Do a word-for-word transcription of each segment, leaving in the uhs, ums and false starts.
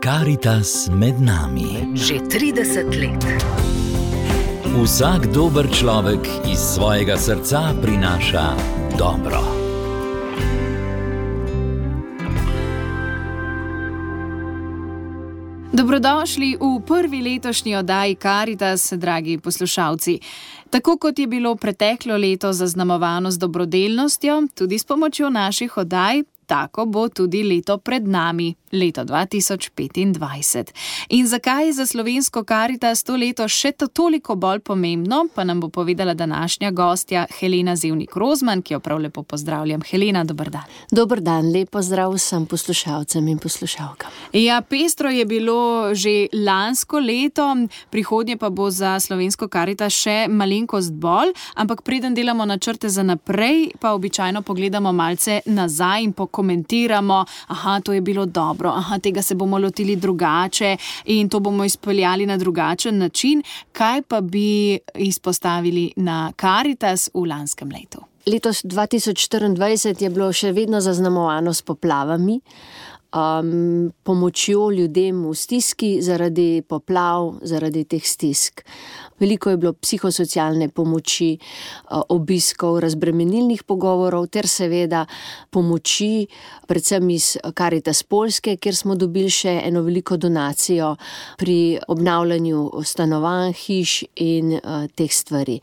Karitas med nami. Že trideset let. Vsak dober človek iz svojega srca prinaša dobro. Dobrodošli v prvi letošnji oddaji Karitas, dragi poslušalci. Tako kot je bilo preteklo leto zaznamovano z dobrodelnostjo, tudi s pomočjo naših oddaj, tako bo tudi leto pred nami, leto dva tisoč petindvajset. In zakaj je za slovensko Karitas to leto še to toliko bolj pomembno, pa nam bo povedala današnja gostja Helena Zevnik-Rozman, ki jo prav lepo pozdravljam. Helena, dober dan. Dober dan, lep pozdrav vsem poslušalcem in poslušalkam. Ja, pestro je bilo že lansko leto, prihodnje pa bo za slovensko Karitas še malenkost bolj, ampak preden delamo načrte za naprej, pa običajno pogledamo malce nazaj in pokomentiramo, aha, to je bilo dobro, aha, tega se bomo lotili drugače in to bomo izpeljali na drugačen način. Kaj pa bi izpostavili na Karitas v lanskem letu? Letos dva tisoč štiriindvajset je bilo še vedno zaznamovano s poplavami, um, pomočjo ljudem v stiski zaradi poplav, zaradi teh stisk. Veliko je bilo psihosocialne pomoči, obiskov, razbremenilnih pogovorov ter seveda pomoči, predvsem iz Karitas Poljske, kjer smo dobili še eno veliko donacijo pri obnavljanju stanovanj, hiš in uh, teh stvari.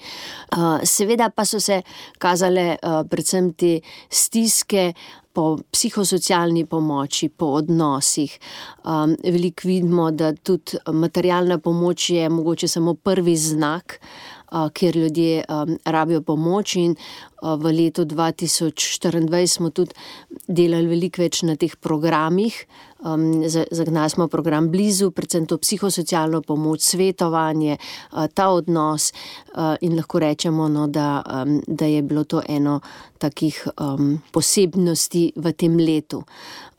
Uh, seveda pa so se kazale uh, predvsem te stiske po psihosocialni pomoči, po odnosih. Um, veliko vidimo, da tudi materialna pomoč je mogoče samo prvi znak, uh, kjer ljudje um, rabijo pomoč in uh, v letu dva tisoč štiriindvajset smo tudi delali veliko več na teh programih. Um, zagnali smo program Blizu, predvsem to psihosocialno pomoč, svetovanje, uh, ta odnos uh, in lahko rečemo, no, da, um, da je bilo to eno takih um, posebnosti v tem letu.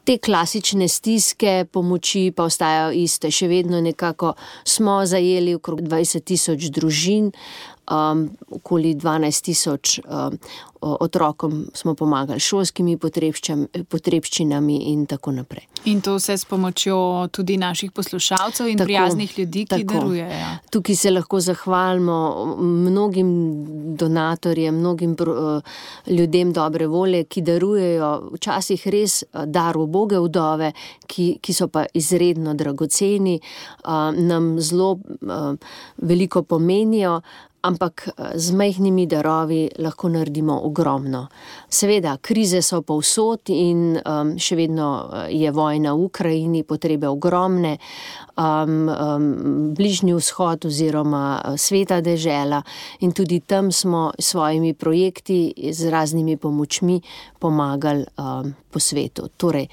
Te klasične stiske pomoči pa ostajajo iste, še vedno nekako smo zajeli okrog dvajset tisoč družin, um, okoli dvanajst tisoč um, otrokom smo pomagali šolskimi potrebščinami in tako naprej. In to vse s pomočjo tudi naših poslušalcev in tako, prijaznih ljudi, ki tako darujejo. Tukaj se lahko zahvalimo mnogim donatorjem, mnogim uh, ljudem dobre volje, ki darujejo včasih res dar uboge vdove, ki, ki so pa izredno dragoceni, uh, nam zelo uh, veliko pomenijo, ampak z majhnimi darovi lahko naredimo ogromno. Seveda, krize so povsod in um, še vedno je vojna v Ukrajini, potrebe ogromne, um, um, Bližnji vzhod oziroma sveta dežela in tudi tam smo s svojimi projekti, z raznimi pomočmi pomagali um, po svetu. Torej,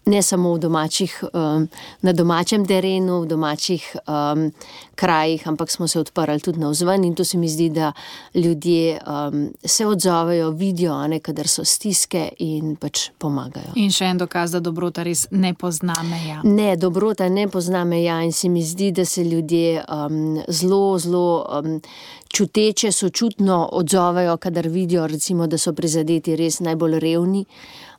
ne samo v domačih, um, na domačem terenu, v domačih um, krajih, ampak smo se odprli tudi navzven in to se mi zdi, da ljudje um, se odzovejo, vidijo, ne, kadar so stiske in pač pomagajo. In še en dokaz, da dobrota res ne pozna meja. Ne, dobrota ne pozna meja in se mi zdi, da se ljudje um, zelo, zelo um, čuteče, sočutno odzovejo, kadar vidijo, recimo, da so prizadeti res najbolj revni,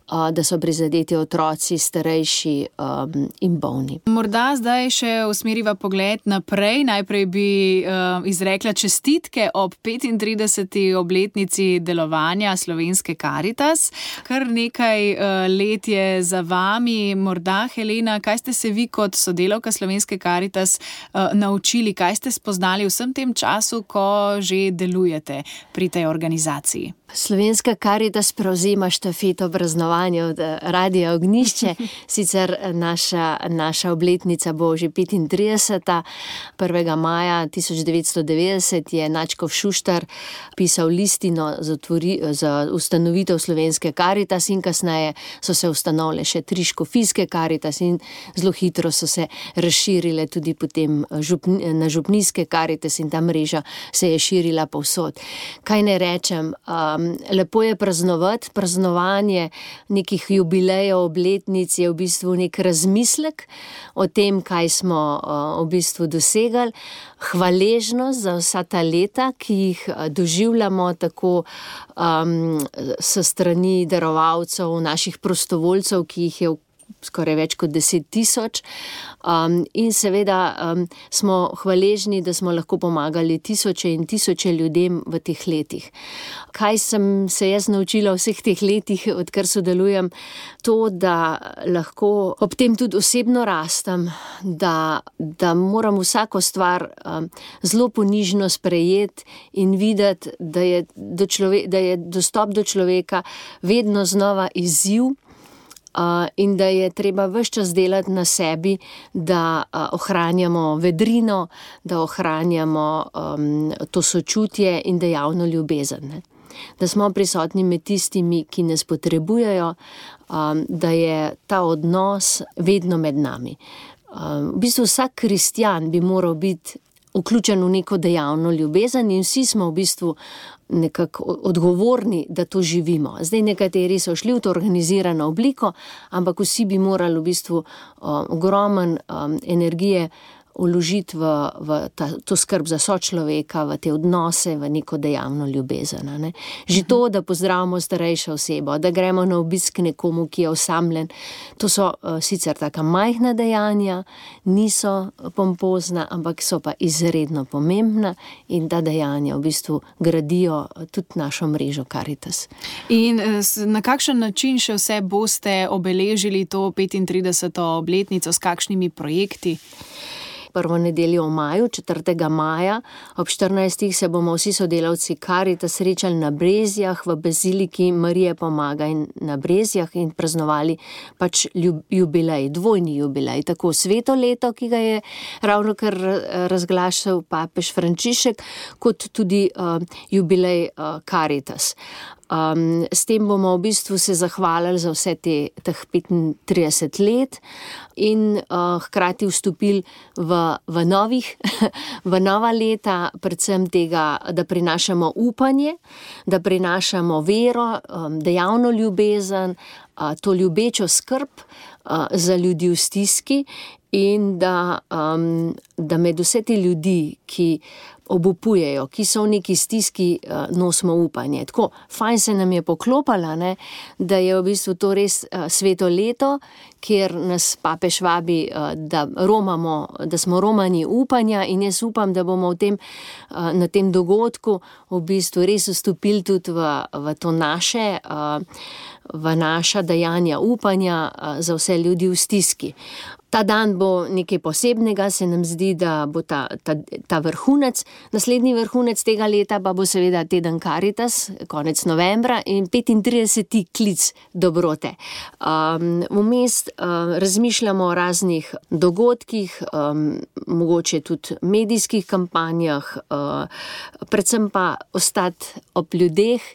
da so prizadeti otroci, starejši um, in bolni. Morda zdaj še usmeriva pogled naprej. Najprej bi uh, izrekla čestitke ob petintrideseti obletnici delovanja slovenske Karitas. Kar nekaj uh, let je za vami. Morda, Helena, kaj ste se vi kot sodelavka slovenske Karitas uh, naučili, kaj ste spoznali v vsem tem času, ko že delujete pri tej organizaciji? Slovenska Karitas prevzema štafeto praznovanja od Radia Ognjišče. Sicer naša, naša obletnica bo že petintrideseta. prvega maja tisoč devetsto devetdeset je Načkov Šuštar pisal listino za, tvori, za ustanovitev Slovenske Karitas in kasneje so se ustanovile še tri škofijske Karitas in zelo hitro so se razširile tudi potem župni, na župnijske Karitas in ta mreža se je širila povsod. Kaj ne rečem, um, lepo je praznovati, praznovanje nekih jubilejev, obletnic je v bistvu nek razmislek o tem, kaj smo uh, v bistvu dosegali, hvaležnost za vsa ta leta, ki jih doživljamo tako um, s strani darovalcev, naših prostovoljcev, ki jih je v skoraj več kot deset tisoč. Um, in seveda um, smo hvaležni, da smo lahko pomagali tisoče in tisoče ljudem v teh letih. Kaj sem se jaz naučila v vseh teh letih, odkar sodelujem? To, da lahko ob tem tudi osebno rastem, da, da moram vsako stvar um, zelo ponižno sprejeti in videti, da je, do člove- da je dostop do človeka vedno znova izziv. Uh, in da je treba ves čas delati na sebi, da uh, ohranjamo vedrino, da ohranjamo um, to sočutje in dejavno ljubezen. Ne? Da smo prisotni med tistimi, ki nas potrebujejo, um, da je ta odnos vedno med nami. Um, v bistvu vsak kristjan bi moral biti vključen v neko dejavno ljubezen in vsi smo v bistvu nekako odgovorni, da to živimo. Zdaj nekateri so šli v to organizirano obliko, ampak vsi bi morali v bistvu um, ogromen um, energije vložiti v, v ta, to skrb za sočloveka, v te odnose, v neko dejavno ljubezen. Ne? Že to, da pozdravimo starejšo osebo, da gremo na obisk nekomu, ki je osamljen, to so uh, sicer taka majhna dejanja, niso pompozna, ampak so pa izredno pomembna in ta dejanja v bistvu gradijo tudi našo mrežo Karitas. In na kakšen način še vse boste obeležili to petintrideseto obletnico, s kakšnimi projekti? Prvo nedeljo v maju, četrtega maja, ob štirinajstih se bomo vsi sodelavci Karitas srečali na Brezjah, v baziliki Marije Pomagaj na Brezjah in praznovali pač ljub, jubilej, dvojni jubilej, tako sveto leto, ki ga je ravnokar razglašal papež Frančišek, kot tudi uh, jubilej uh, Karitas. Um, s tem bomo v bistvu se zahvalili za vse te, teh petintrideset let in uh, hkrati vstopili v, v novih, v nova leta, predvsem tega, da prinašamo upanje, da prinašamo vero, um, dejavno ljubezen, uh, to ljubečo skrb uh, za ljudi v stiski in da, um, da med vse te ljudi, ki obupujejo, ki so v neki stiski, nosimo upanje. Tako, fajn se nam je poklopala, ne, da je v bistvu to res sveto leto, kjer nas papež vabi, da romamo, da smo romani upanja in jaz upam, da bomo v tem, na tem dogodku v bistvu res vstopili tudi v, v to naše, v naša dejanja upanja za vse ljudi v stiski. Ta dan bo nekaj posebnega, se nam zdi, da bo ta, ta, ta vrhunec. Naslednji vrhunec tega leta pa bo seveda teden Karitas, konec novembra in petintrideseti klic dobrote. Um, vmes um, razmišljamo o raznih dogodkih, um, mogoče tudi medijskih kampanjah, uh, predvsem pa ostati ob ljudeh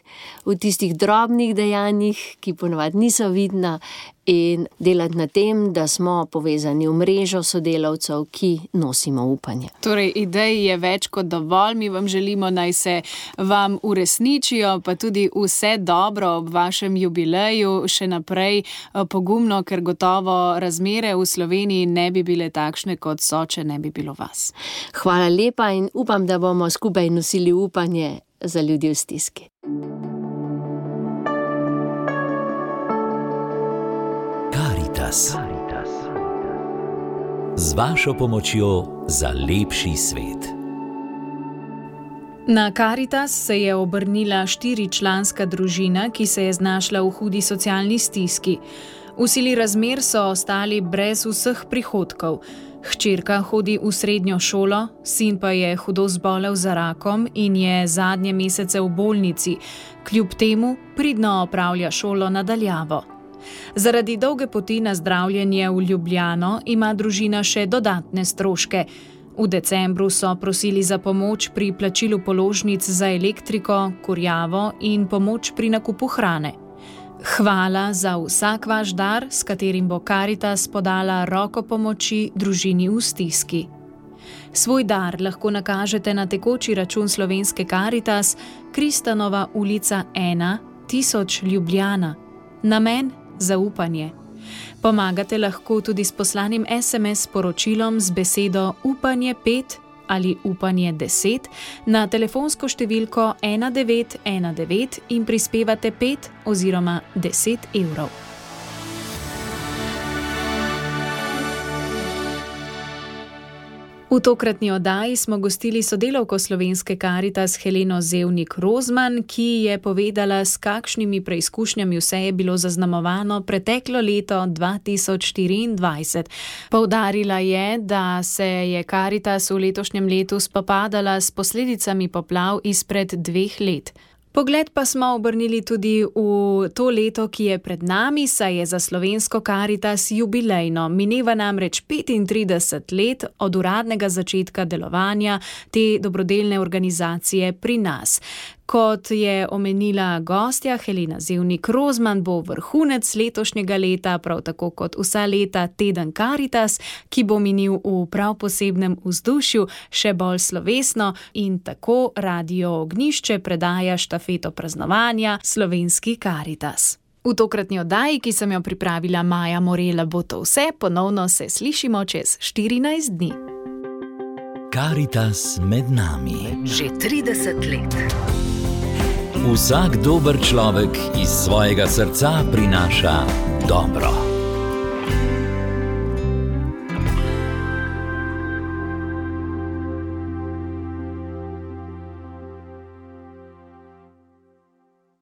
v tistih drobnih dejanjih, ki ponavadi niso vidna, in delati na tem, da smo povezani v mrežo sodelavcev, ki nosimo upanje. Torej, idej je več kot dovolj, mi vam želimo, naj se vam uresničijo, pa tudi vse dobro ob vašem jubileju, še naprej pogumno, ker gotovo razmere v Sloveniji ne bi bile takšne, kot so, če ne bi bilo vas. Hvala lepa in upam, da bomo skupaj nosili upanje za ljudi v stiski. Karitas. Z vašo pomočjo za lepši svet. Na Karitas se je obrnila štiričlanska družina, ki se je znašla v hudi socialni stiski. V sili razmer so ostali brez vseh prihodkov. Hčerka hodi v srednjo šolo, sin pa je hudo zbolel za rakom in je zadnje mesece v bolnici, kljub temu pridno opravlja šolo nadaljavo. Zaradi dolge poti na zdravljenje v Ljubljano ima družina še dodatne stroške. V decembru so prosili za pomoč pri plačilu položnic za elektriko, kurjavo in pomoč pri nakupu hrane. Hvala za vsak vaš dar, s katerim bo Karitas podala roko pomoči družini v stiski. Svoj dar lahko nakažete na tekoči račun Slovenske Karitas, Kristanova ulica ena, tisoč Ljubljana. Namen zaupanje. Pomagate lahko tudi s poslanim es em es sporočilom z besedo upanje pet ali upanje deset na telefonsko številko ena devet ena devet in prispevate pet oziroma deset evrov. V tokratni oddaji smo gostili sodelavko Slovenske Karitas Heleno Zevnik Rozman, ki je povedala, s kakšnimi preizkušnjami vse je bilo zaznamovano preteklo leto dva tisoč štiriindvajset. Poudarila je, da se je Karitas v letošnjem letu spopadala s posledicami poplav izpred dveh let. Pogled pa smo obrnili tudi v to leto, ki je pred nami, saj je za Slovensko Karitas jubilejno. Mineva namreč petintrideset let od uradnega začetka delovanja te dobrodelne organizacije pri nas. Kot je omenila gostja Helena Zevnik Rozman, bo vrhunec letošnjega leta, prav tako kot vsa leta, teden Karitas, ki bo minil v prav posebnem vzdušju, še bolj slovesno, in tako Radio Ognjišče predaja štafeto praznovanja Slovenski Karitas. V tokratni oddaji, ki sem jo pripravila Maja Morela, bo to vse. Ponovno se slišimo čez štirinajst dni. Karitas med nami. Že trideset let. Vsak dober človek iz svojega srca prinaša dobro.